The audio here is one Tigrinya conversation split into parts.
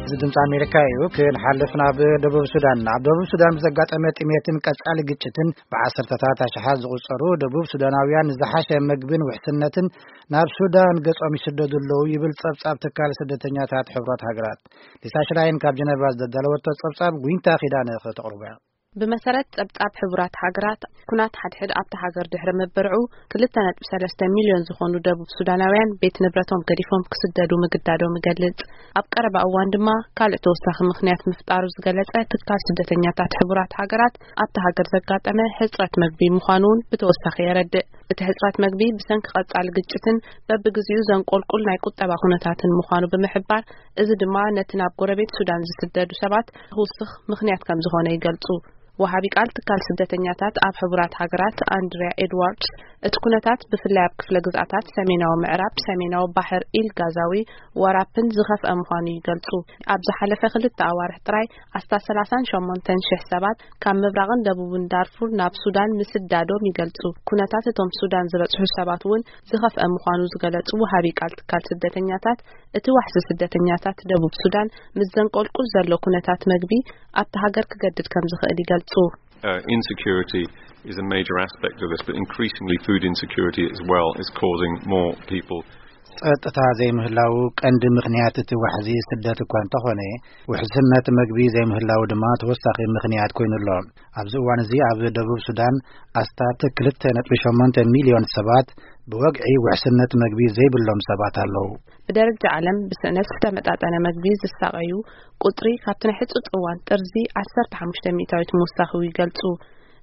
እዚ ድምፂ ኣሜሪካ እዩ። ክንሓልፍ ናብ ደቡብ ሱዳን። ኣብ ደቡብ ሱዳን ብዘጋጠመ ጥሜትን ቀጻሊ ግጭትን ብዓሰርተታት ኣሽሓት ዝቑጸሩ ደቡብ ሱዳናውያን ንዝሓሸ ምግብን ውሕስነትን ናብ ሱዳን ገጾም ይስደዱ ኣለዉ ይብል ጸብጻብ ትካል ስደተኛታት ሕቡራት ሃገራት። ሊሳ ሽላይን ካብ ጀነቫ ዘዳለወቶ ጸብጻብ ጉይንታ ኪዳነ ከተቕርቦ እያ። ብመሰረት ጸብጻብ ሕቡራት ሃገራት፣ ኩናት ሓድሕድ ኣብታ ሃገር ድሕሪ ምብርዑ፣ ክልተ ነጥቢ ሰለስተ ሚልዮን ዝኾኑ ደቡብ ሱዳናውያን ቤት ንብረቶም ገዲፎም ክስደዱ ምግዳዶም ይገልጽ። ኣብ ቀረባ እዋን ድማ ካልእ ተወሳኺ ምኽንያት ምፍጣሩ ዝገለጸ ትካል ስደተኛታት ሕቡራት ሃገራት፣ ኣብታ ሃገር ዘጋጠመ ሕጽረት መግቢ ምዃኑ እውን ብተወሳኺ የረድእ። እቲ ሕጽረት መግቢ ብሰንኪ ቀጻሊ ግጭትን በብግዜኡ ዘንቆልቁል ናይ ቁጠባ ኩነታትን ምዃኑ ብምሕባር፣ እዚ ድማ ነቲ ናብ ጎረቤት ሱዳን ዝስደዱ ሰባት ክውስኽ ምኽንያት ከም ዝኾነ ይገልጹ። ወሃቢ ቃል ትካል ስደተኛታት ኣብ ሕቡራት ሃገራት ኣንድሪያ ኤድዋርድስ፣ እቲ ኩነታት ብፍላይ ኣብ ክፍለ ግዝኣታት ሰሜናዊ ምዕራብ፣ ሰሜናዊ ባሕር ኢል ጋዛዊ፣ ወራፕን ዝኸፍአ ምዃኑ ይገልጹ። ኣብ ዝሓለፈ ክልተ ኣዋርሕ ጥራይ ኣስታት ሰላሳን ሸሞንተን ሽሕ ሰባት ካብ ምብራቕን ደቡብን ዳርፉር ናብ ሱዳን ምስዳዶም ይገልጹ። ኩነታት እቶም ሱዳን ዝበጽሑ ሰባት እውን ዝኸፍአ ምዃኑ ዝገለጹ ወሃቢ ቃል ትካል ስደተኛታት፣ እቲ ዋሕዚ ስደተኛታት ደቡብ ሱዳን ምስ ዘንቆልቁል ዘሎ ኩነታት መግቢ ኣብቲ ሃገር ክገድድ ከም ዝኽእል ይገልጹ። Uh, insecurity is a major aspect of this, but increasingly food insecurity as well is causing more people. ጸጥታ ዘይምህላው ቀንዲ ምኽንያት እቲ ዋሕዚ ስደት እኳ እንተኾነ፣ ውሕስነት መግቢ ዘይምህላው ድማ ተወሳኺ ምኽንያት ኮይኑ ኣሎ። ኣብዚ እዋን እዚ ኣብ ደቡብ ሱዳን ኣስታት ክልተ ነጥቢ ሸሞንተ ሚልዮን ሰባት ብወግዒ ውሕስነት መግቢ ዘይብሎም ሰባት ኣለዉ። ብደረጃ ዓለም ብስእነት ዝተመጣጠነ መግቢ ዝሳቐዩ ቁጽሪ ካብቲ ናይ ሕጹጽ እዋን ጥርዚ ዓሰርተ ሓሙሽተ ሚእታዊት ምውሳኹ ይገልጹ።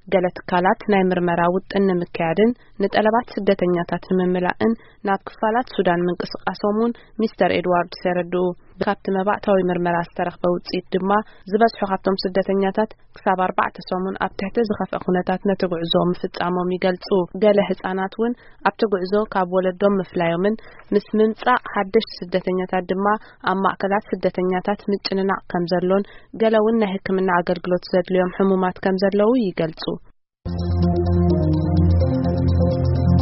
ገለ ትካላት ናይ ምርመራ ውጥን ንምክያድን ንጠለባት ስደተኛታት ንምምላእን ናብ ክፋላት ሱዳን ምንቅስቃሶም እውን ሚስተር ኤድዋርድስ የረድኡ። ካብቲ መባእታዊ ምርመራ ዝተረኽበ ውጽኢት ድማ ዝበዝሑ ካብቶም ስደተኛታት ክሳብ ኣርባዕተ ሰሙን ኣብ ትሕቲ ዝኸፍአ ኩነታት ነቲ ጉዕዞ ምፍጻሞም ይገልጹ። ገለ ህጻናት እውን ኣብቲ ጉዕዞ ካብ ወለዶም ምፍላዮምን ምስ ምምጻእ ሓደሽቲ ስደተኛታት ድማ ኣብ ማእከላት ስደተኛታት ምጭንናቕ ከም ዘሎን ገለ እውን ናይ ሕክምና ኣገልግሎት ዘድልዮም ሕሙማት ከም ዘለዉ ይገልጹ።